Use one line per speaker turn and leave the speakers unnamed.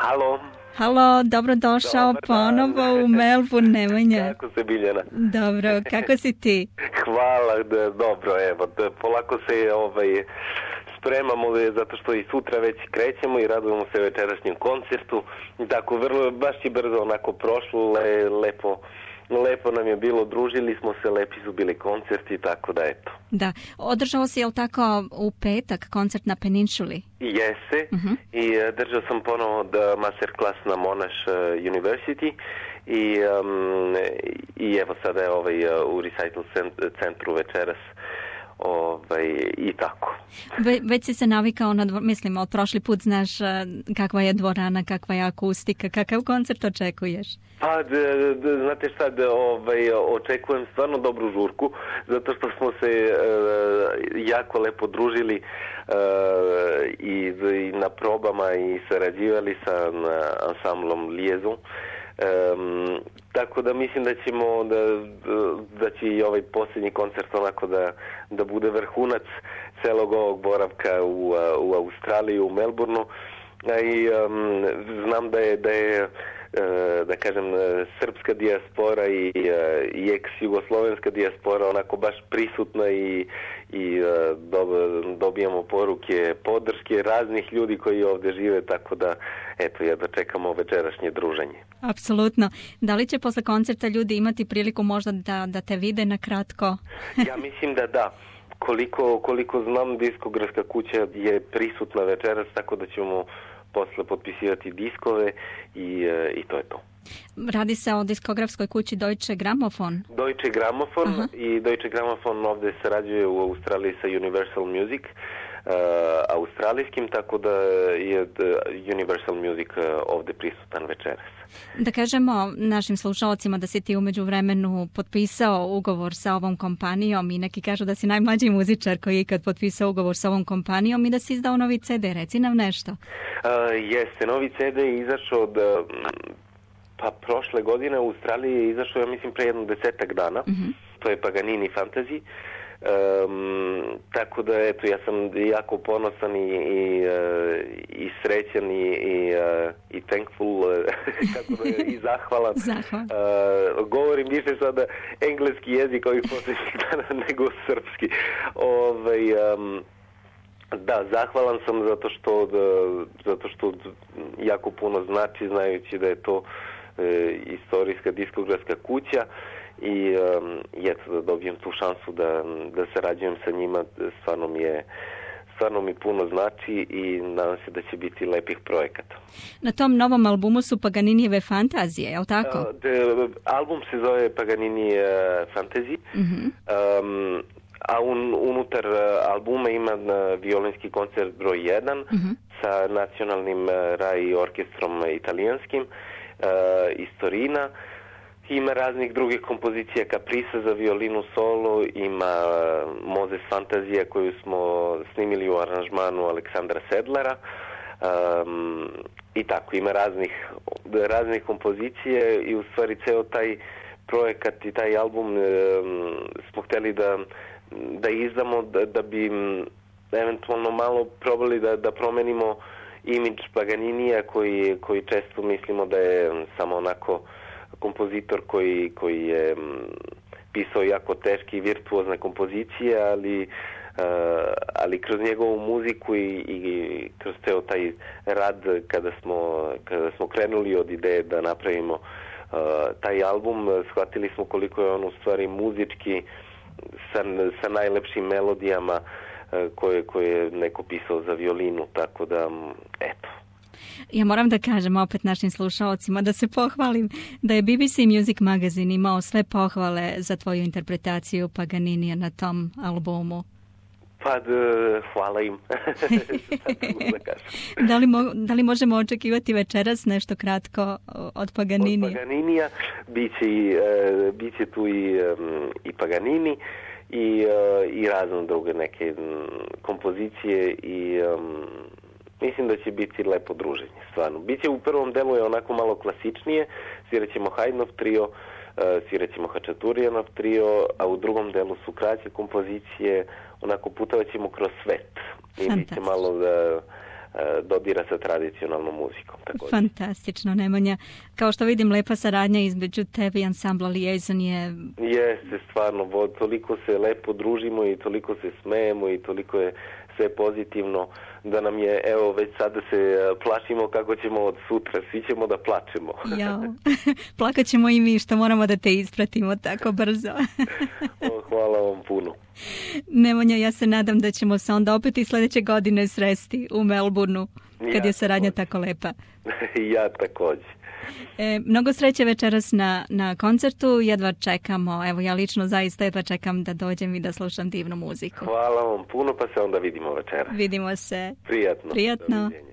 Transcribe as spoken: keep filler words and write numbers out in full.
Halo.
Halo, dobrodošao
Dobar
ponovo u Melbourne, Nemanja.
Kako se, Biljana?
Dobro, kako si ti?
Hvala, da, dobro, evo, da, polako se ovaj, spremamo, zato što i sutra već krećemo i radujemo se večerašnjem koncertu. Tako, vrlo, baš i brzo onako prošlo, le, lepo, lepo nam je bilo, družili smo se, lepi su bili koncerti, tako da eto.
Da, održao si, jel tako, u petak koncert na Peninsuli?
Jeste,
uh-huh.
I uh, držao sam ponovo da masterclass na Monash uh, University i, um, i evo sada je ovaj, uh, u recital centru večeras ovaj, i tako.
Ve, već si se navikao na, dvor, mislim, od prošli put znaš uh, kakva je dvorana, kakva je akustika, kakav koncert očekuješ?
Pa, d, d, znate šta, d, ovaj, očekujem stvarno dobru žurku, zato što smo se uh, jako lepo družili uh, i, i na probama i sarađivali sa ansamblom Liaison. Um, tako da mislim da ćemo da, da će i ovaj posljednji koncert onako da, da bude vrhunac celog ovog boravka u, u Australiji, u Melbourneu. I um, znam da je da je da kažem srpska dijaspora i, i ex-jugoslovenska dijaspora onako baš prisutna i, i dobijamo poruke podrške raznih ljudi koji ovdje žive, tako da eto, ja da čekamo večerašnje druženje.
Apsolutno. Da li će posle koncerta ljudi imati priliku možda da, da te vide na kratko?
Ja mislim da da. Koliko, koliko znam, diskografska kuća je prisutna večeras, tako da ćemo posle potpisivati diskove i, i to je to.
Radi se o diskografskoj kući Deutsche Grammophon?
Deutsche Grammophon. Aha. I Deutsche Grammophon ovdje sarađuje u Australiji sa Universal Music, uh, australijskim, tako da je Universal Music uh, ovdje prisutan večeras.
Da kažemo našim slušalcima da si ti umeđu vremenu potpisao ugovor sa ovom kompanijom i neki kažu da si najmlađi muzičar koji je ikad potpisao ugovor sa ovom kompanijom i da si izdao novi ce de. Reci nam nešto.
Uh, jeste, novi ce de je izašao od pa prošle godine u Australiji je izašao, ja mislim, pre jedno desetak dana. Uh-huh. To je Paganini Fantasy. Um, tako da, eto, ja sam jako ponosan i, i, uh, i srećan i, i, uh, i thankful, uh, tako da je i zahvalan. uh, govorim više sada engleski jezik ovih posljednjih dana nego srpski. Ovaj, um, da, zahvalan sam zato što, da, zato što jako puno znači, znajući da je to e, istorijska diskografska kuća i um, eto, da dobijem tu šansu da, da sarađujem sa njima, stvarno mi je stvarno mi puno znači i nadam se da će biti lepih projekata.
Na tom novom albumu su Paganinijeve fantazije, je li tako?
Uh, de, album se zove Paganini uh, Fantasy. Uh-huh. Um, a un, unutar albuma ima violinski koncert broj jedan uh-huh. sa nacionalnim Rai orkestrom italijanskim uh, iz Torina. Ima raznih drugih kompozicija, Caprisa za violinu solo, ima Mozes Fantazija koju smo snimili u aranžmanu Aleksandra Sedlara um, i tako, ima raznih, raznih kompozicije i u stvari ceo taj projekat i taj album um, smo hteli da da izdamo da, da bi eventualno malo probali da, da promenimo imidž Paganinija koji, koji često mislimo da je samo onako kompozitor koji, koji je pisao jako teške i virtuozne kompozicije, ali, uh, ali kroz njegovu muziku i, i kroz ceo taj rad kada smo, kada smo krenuli od ideje da napravimo uh, taj album, shvatili smo koliko je on u stvari muzički Sa, sa najlepšim melodijama uh, koje, koje je neko pisao za violinu, tako da, eto.
Ja moram da kažem opet našim slušalcima da se pohvalim da je B B C Music Magazine imao sve pohvale za tvoju interpretaciju Paganinija na tom albumu.
Pa, d, hvala im.
da, da, li mo, da li možemo očekivati večeras nešto kratko od Paganinija?
Od Paganinija biće, uh, biće tu i, um, i Paganini i, uh, i razne druge neke um, kompozicije i um, mislim da će biti lepo druženje, stvarno. Biće u prvom delu je onako malo klasičnije, svirat ćemo Haydnov trio, uh, svirat ćemo Hačaturijanov trio, a u drugom delu su kraće kompozicije, onako putovat ćemo kroz svet i biće malo da dodira sa tradicionalnom muzikom. Također.
Fantastično, Nemanja. Kao što vidim, lepa saradnja između tebe i ansambla Liaison je...
Jeste, stvarno, toliko se lepo družimo i toliko se smejemo i toliko je sve pozitivno da nam je, evo, već sada se plašimo kako ćemo od sutra, svi ćemo da plačemo.
Jao, plakat ćemo i mi što moramo da te ispratimo tako brzo.
O, hvala vam puno.
Nemanja, ja se nadam da ćemo se onda opet i sljedeće godine sresti u Melbourneu, kad
ja
je saradnja
također.
tako lepa.
Ja također.
E, mnogo sreće večeras na, na koncertu, jedva čekamo, evo ja lično zaista jedva čekam da dođem i da slušam divnu muziku.
Hvala vam puno, pa se onda vidimo večera.
Vidimo se.
Prijatno.
Prijatno.
Doviđenja.